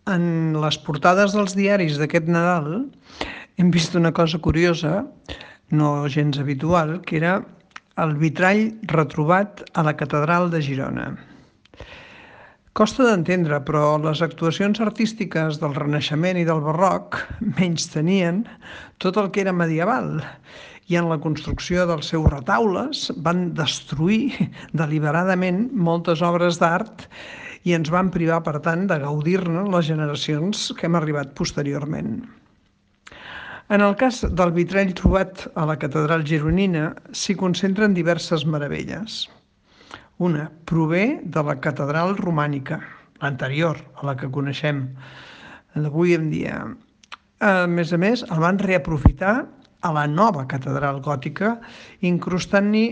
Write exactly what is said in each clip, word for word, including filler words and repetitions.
En les portades dels diaris d'aquest Nadal hem vist una cosa curiosa, no gens habitual, que era el vitrall retrobat a la catedral de Girona. Costa d'entendre, però les actuacions artístiques del Renaixement i del Barroc menystenien tot el que era medieval i en la construcció dels seus retaules van destruir deliberadament moltes obres d'art i ens van privar, per tant, de gaudir-ne les generacions que hem arribat posteriorment. En el cas del vitrall trobat a la catedral gironina s'hi concentren diverses meravelles. Una prové de la catedral romànica, l'anterior a la que coneixem d'avui en dia. A més a més, el van reaprofitar a la nova catedral gòtica, incrustant-hi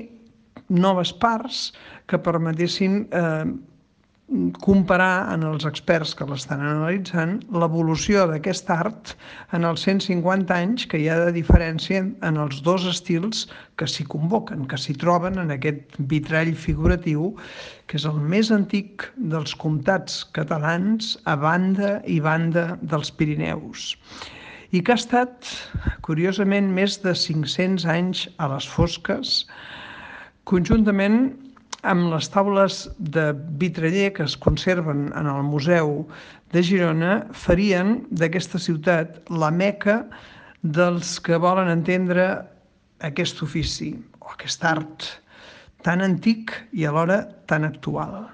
noves parts que permetessin eh, comparar en els experts que l'estan analitzant l'evolució d'aquest art en els cent cinquanta anys que hi ha de diferència en els dos estils que s'hi convoquen, que s'hi troben en aquest vitrall figuratiu, que és el més antic dels comtats catalans a banda i banda dels Pirineus, i que ha estat, curiosament, més de cinc-cents anys a les fosques, conjuntament amb les taules de vitraller que es conserven en el Museu de Girona, farien d'aquesta ciutat la meca dels que volen entendre aquest ofici o aquest art tan antic i alhora tan actual.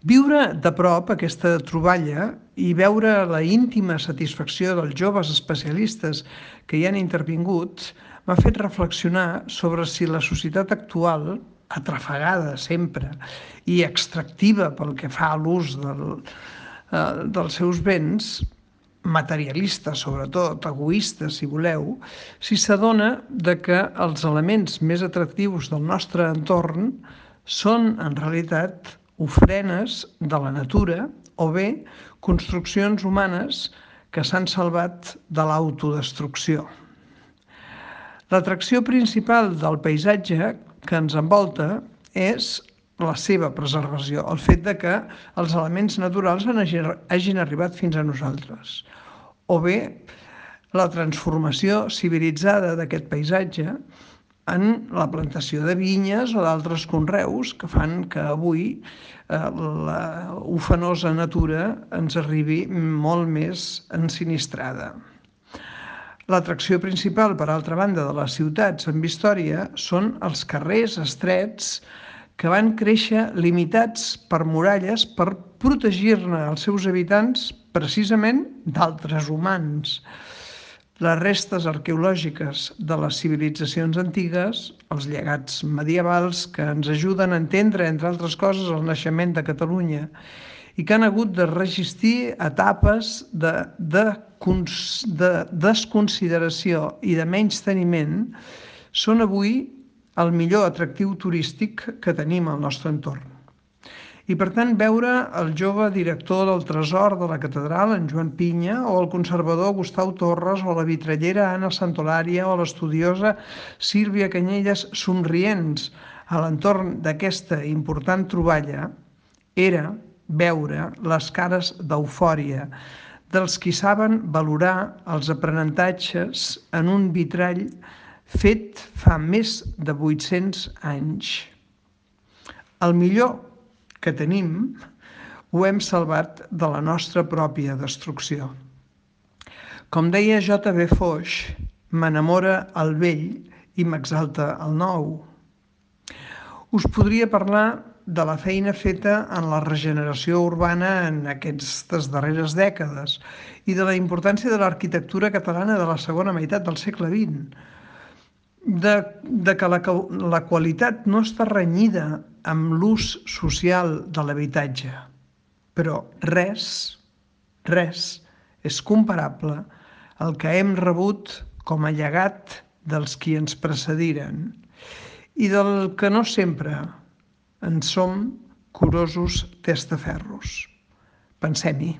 Viure de prop aquesta troballa i veure la íntima satisfacció dels joves especialistes que hi han intervingut m'ha fet reflexionar sobre si la societat actual, atrafegada sempre i extractiva pel que fa a l'ús del, eh, dels seus béns, materialista sobretot, egoista si voleu, si s'adona de que els elements més atractius del nostre entorn són en realitat ofrenes de la natura o bé construccions humanes que s'han salvat de l'autodestrucció. L'atracció principal del paisatge que ens envolta és la seva preservació, el fet de que els elements naturals hagin arribat fins a nosaltres, o bé la transformació civilitzada d'aquest paisatge en la plantació de vinyes o d'altres conreus que fan que avui eh, la ufanosa natura ens arribi molt més ensinistrada. L'atracció principal, per altra banda, de les ciutats amb història són els carrers estrets que van créixer limitats per muralles per protegir-ne els seus habitants precisament d'altres humans. Les restes arqueològiques de les civilitzacions antigues, els llegats medievals que ens ajuden a entendre, entre altres coses, el naixement de Catalunya i que han hagut de resistir etapes de, de, de desconsideració i de menysteniment, són avui el millor atractiu turístic que tenim al nostre entorn. I per tant veure el jove director del tresor de la catedral, en Joan Pinya, o el conservador Gustau Torres, o la vitrallera Anna Santolària, o l'estudiosa Sílvia Canyelles somrients a l'entorn d'aquesta important troballa, era veure les cares d'eufòria dels qui saben valorar els aprenentatges en un vitrall fet fa més de vuit-cents anys. El millor que tenim ho hem salvat de la nostra pròpia destrucció. Com deia J V Foix, m'enamora el vell i m'exalta el nou. Us podria parlar de la feina feta en la regeneració urbana en aquestes darreres dècades i de la importància de l'arquitectura catalana de la segona meitat del segle vint, de, de que la, la qualitat no està renyida amb l'ús social de l'habitatge, però res, res és comparable al que hem rebut com a llegat dels qui ens precediren i del que no sempre en som curosos testaferros. Pensem-hi.